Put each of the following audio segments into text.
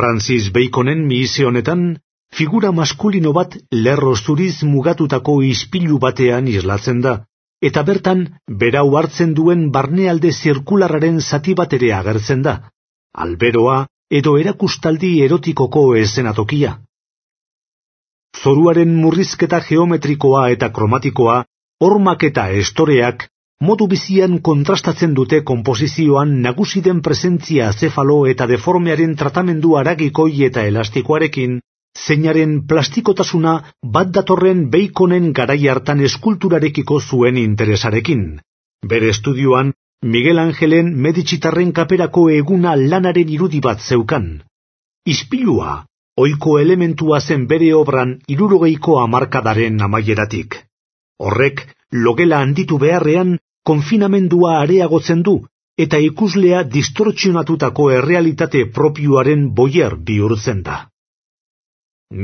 Francis Baconen mihise honetan, figura maskulino bat lerro zuriz mugatutako ispilu batean islatzen da, eta bertan berau hartzen duen barnealde zirkularraren zati bat ere agertzen da, alberoa edo erakustaldi erotikoko eszenatokia. Zoruaren murrizketa geometrikoa eta kromatikoa, hormak eta estoreak, modu bizian kontrastatzen dute konposizioan nagusi den presentzia zefalo eta deformearen tratamendu haragikoi eta elastikoarekin, zeinaren plastikotasuna bat datorren Baconen garai hartan eskulturarekiko zuen interesarekin. Bere estudioan, Miguel Angelen Medici-tarren kaperako eguna lanaren irudi bat zeukan. Ispilua, ohiko elementua zen bere obran 60ko hamarkadaren amaieratik. Horrek, logela handitu beharrean, konfinamendua areagotzen du, eta ikuslea distortsionatutako errealitate propioaren boier bihurtzen da.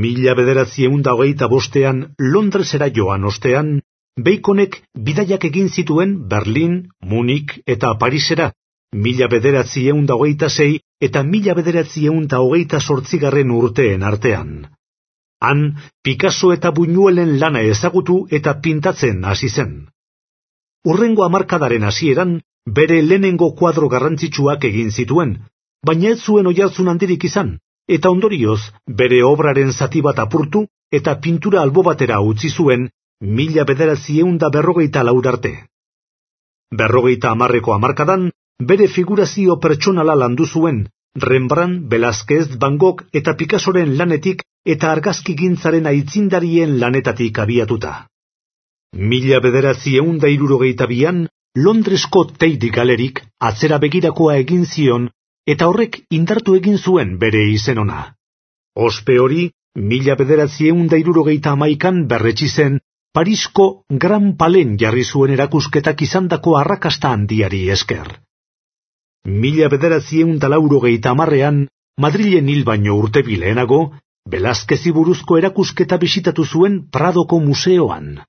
1925ean Londresera joan ostean, Baconek bidaiak egin zituen Berlin, Munik eta Parisera, 1926 eta 1928 urteen artean. Han, Picasso eta Buñuelen lana ezagutu eta pintatzen hasi zen. Hurrengo hamarkadaren hasieran, bere lehenengo kuadro garrantzitsuak egin zituen, baina ez zuen oihartzun handirik izan, eta ondorioz, bere obraren zati bat apurtu eta pintura albo batera utzi zuen 1954 arte. 50ko hamarkadan, bere figurazio pertsonala landu zuen, Rembrandt, Velázquez, Van Gogh eta Picassoren lanetik eta argazkigintzaren aitzindarien lanetatik abiatuta. 1962an, Londresko Tate Galerik atzera begirakoa egin zion eta horrek indartu egin zuen bere izen ona. Ospe hori, 1971an berretsi zen Parisko Grand Palais jarri zuen erakusketak izandako arrakasta handiari esker. 1980ean, Madrilen hil baino urte bi lehenago, Velázquezi buruzko erakusketa bisitatu zuen Pradoko museoan.